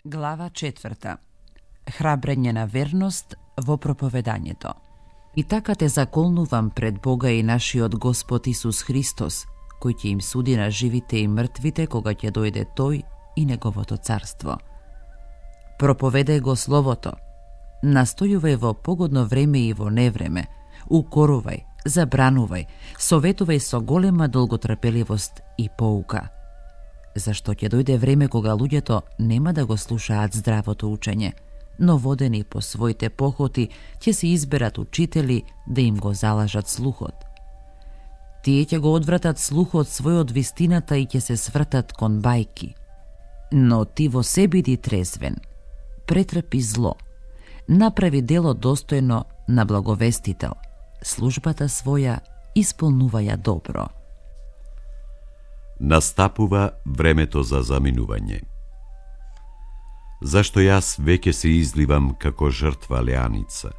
Глава 4. Храбрење на верност во проповедањето. И така те заколнувам пред Бога и нашиот Господ Исус Христос, кој ќе им суди на живите и мртвите кога ќе дојде Тој и Неговото царство. Проповедај го Словото, настојувај во погодно време и во невреме, укорувај, забранувај, советувај со голема долготрпеливост и поука. Зашто ќе дојде време кога луѓето нема да го слушаат здравото учење, но водени по своите похоти ќе се изберат учители да им го залажат слухот. Тие ќе го одвратат слухот свој од вистината и ќе се свртат кон бајки. Но ти во се биди трезвен, претрпи зло, направи дело достојно на благовестител, службата своја исполнуваја добро. Настапува времето за заминување. Зашто јас веќе се изливам како жртва леаница,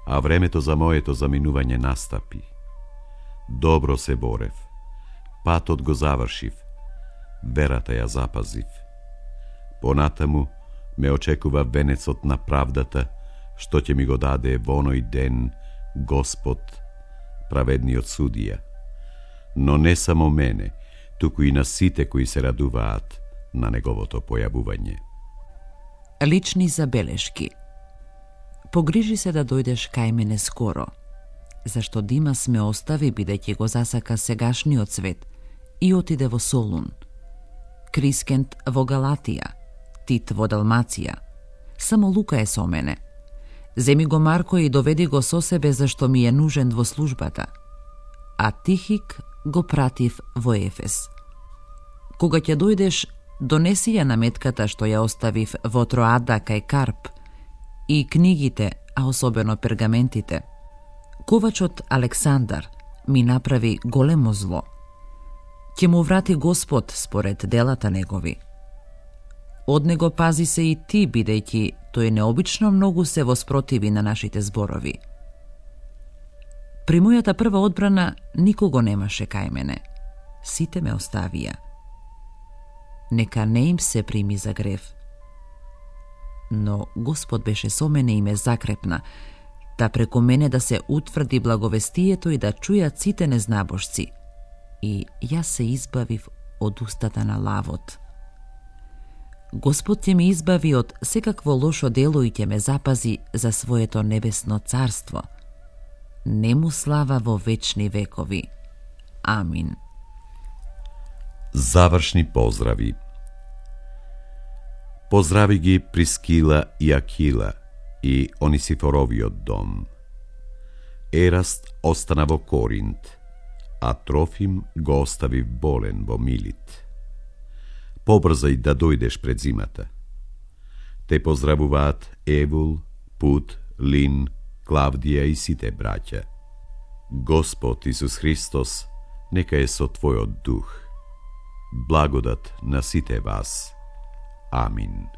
а времето за моето заминување настапи. Добро се борев, патот го завршив, верата ја запазив. Понатаму ме очекува венецот на правдата, што ќе ми го даде во оној ден Господ, праведниот судија. Но не само мене, туку и на сите кои се радуваат на неговото појавување. Лични забелешки. Погрижи се да дојдеш кај мене скоро, зашто Димас ме остави бидејќи го засака сегашниот свет и отиде во Солун. Крискент во Галатија, Тит во Далмација. Само Лука е со мене. Земи го Марко и доведи го со себе зашто ми е нужен во службата. А Тихик го пратив во Ефес. Кога ќе дојдеш, донеси ја наметката што ја оставив во Троада кај Карп и книгите, а особено пергаментите. Ковачот Александар ми направи големо зло. Ќе му врати Господ според делата негови. Од него пази се и ти, бидејќи тој необично многу се воспротиви на нашите зборови. При мојата прва одбрана никого немаше кај мене. Сите ме оставија. Нека не им се прими за грев. Но Господ беше со мене и ме закрепна, да преку мене да се утврди благовестието и да чујат сите незнабожци. И јас се избавив од устата на лавот. Господ ќе ме избави од секакво лошо дело и ќе ме запази за своето небесно царство. Нему слава во вечни векови. Амин. Завршни поздрави. Поздрави ги Прискила и Акила и Онисифоровиот дом. Ераст остана во Коринт, а Трофим го остави болен во Милит. Побрзај да дојдеш пред зимата. Те поздравуваат Евул, Пут, Лин, Клавдија и сите браќа. Господ Исус Христос нека е со твојот дух. Благодат на сите вас. Амин.